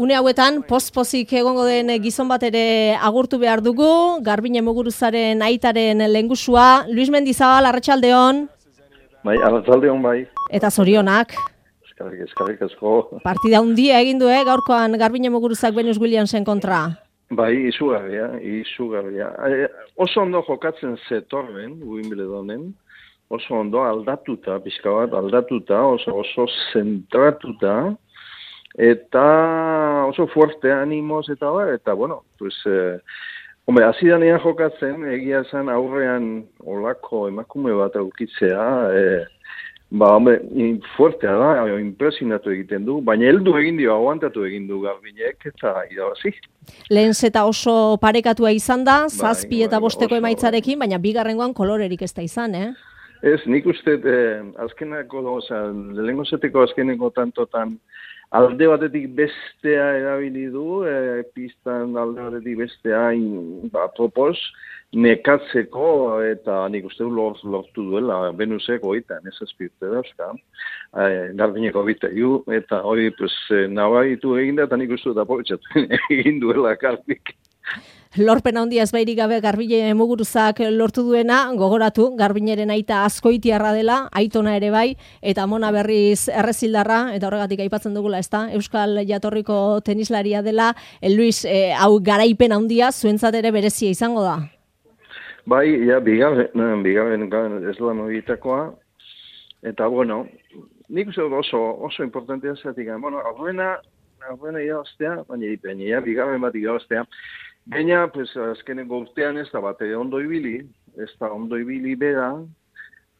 Une hauetan, pozik egongo den gizon bat ere agurtu behar dugu, Garbine Muguruzaren aitaren lehengusua. Luis Mendizabal, arratsaldeon. Bai, arratsaldeon bai. Eta zorionak. Eskerrik asko. Partida handia egin du, gaurkoan Garbine Muguruzak Venus Williamsen kontra. Bai, izugarria. Oso ondo jokatzen zetorren, Wimbledonen. Oso ondo aldatuta, pixka bat aldatuta, oso zentratuta. Eta oso fuerte animoz eta bueno, pues, hasi danean jokatzen, egia esan aurrean olako emakume bat aukitzea, fuertea da, impresionatu egiten du, baina heldu egin dio, aguantatu egin du Garbinek eta irabazi. Lehen zeta oso parekatua izan da, 7 eta 5 emaitzarekin, baina bigarrengoan kolorerik ez da izan, Ez, nik uste, lehengo zeteko azkeneko tantotan, alde batetik bestea erabili du, pistan alde batetik bestea apropos, nekatzeko eta nik uste lortu duela Venusek oitan, ez azpirte dauzka, Garbineko bitaiu, eta hori nabaitu egin da, eta nik uste da aprovechatu egin duela Garbik. Lorpen handia ez bairik gabe Garbine Muguruzak lortu duena, gogoratu, Garbineren aita azkoitiarra dela, aitona ere bai, eta Mona berriz errezildarra, eta horregatik aipatzen dugula, ezta? Euskal jatorriko tenislaria dela, Luis, hau garaipen handia zuentzat ere berezia izango da? Bai, bigarren eslan horietakoa, eta bueno, nik uste oso importantea zatik, bueno, aurrena irabaztea, baina bigarren bat irabaztea, baina, azkeneko urtean ez da bat ondo ibili bera,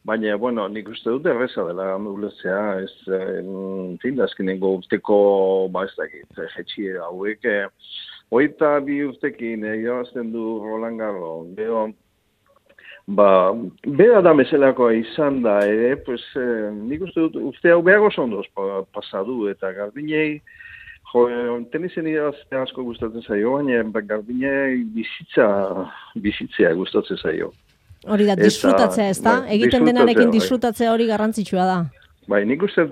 baina, bueno, nik uste dut erreza dela ulertzea, azkeneko urteko, ez dakit, jetxie hauek, 22 urtekin irabazten du Roland Garros, bera da meselakoa izan da ere, nik uste dut urte hau behar oso ondoz pasadu, eta Garbinei, tenisen irabaztea asko gustatzen zaio, baina Garbinei bizitzea gustatzen zaio. Hori da, disfrutatzea ez da? Egiten denarekin disfrutatzea hori garrantzitsua da. Bai, nik uste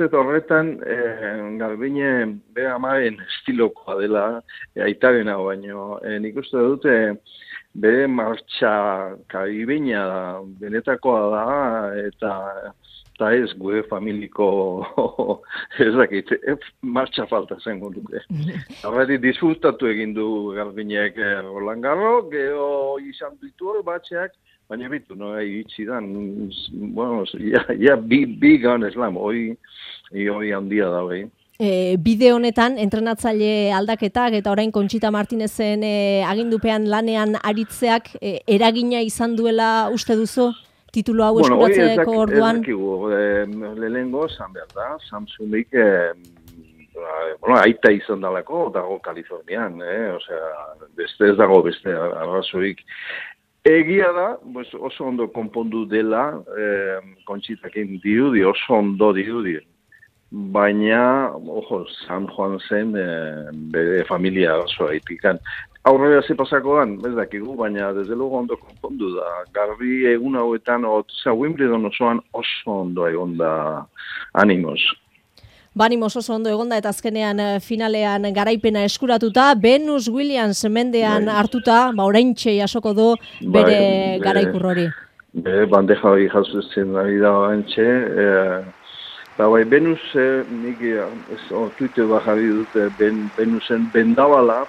horretan Garbine bera amaren estilokoa dela, aitarena baino, nik uste dute bere martxa karibeina da, benetakoa da, eta ez gure familiko, ez dakit, martxa falta zengo dute. Horretik disfrutatu egin du Garbinek Roland Garros, gero izan ditu hor batxeak, baina bitu, iritsi dan, bueno, bi Grand Slam, hori handia da, bai. Bide honetan, entrenatzaile aldaketak eta orain Conchita Martinezen agindupean lanean aritzeak eragina izan duela uste duzu? Titulo hau eskuratzeko orduan? Lehenengo, zan behar da, Samsungik, aita izan dalako, dago Kalifornian, beste ez dago beste arrazoik. Egia da, oso ondo konpondu dela, Conchitakin dirudi, oso ondo dirudi. Baina, San Juan zen bere familia oso haitikan. Aurrera ze pasakoan, ez dakigu, baina desde luego ondo konpondu da. Garbi egun hauetan, Wimbledon osoan oso ondo egon da animoz. Animoz oso ondo egon da, eta azkenean finalean garaipena eskuratuta, Venus Williams mendean hartuta, oraintxe jasoko du bere garaikur hori. Bere bandeja hori jasotzen ari da oraintxe, Venus, nik Twitter jarri dute Venusen bendabala,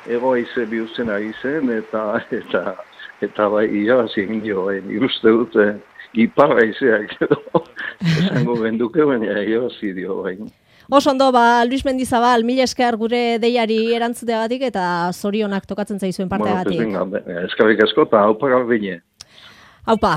ego aize bihurtzen ari zen, eta irabazi egin dio, ikuste dute, iparra aizeak edo, esango benduke, baina irabazi dio, Oso ondo, Luis Mendizabal, mila esker gure deiari erantzuteagatik eta zorionak tokatzen zaizuen parteagatik. Eskerrik asko eta haupa Garbine. Haupa,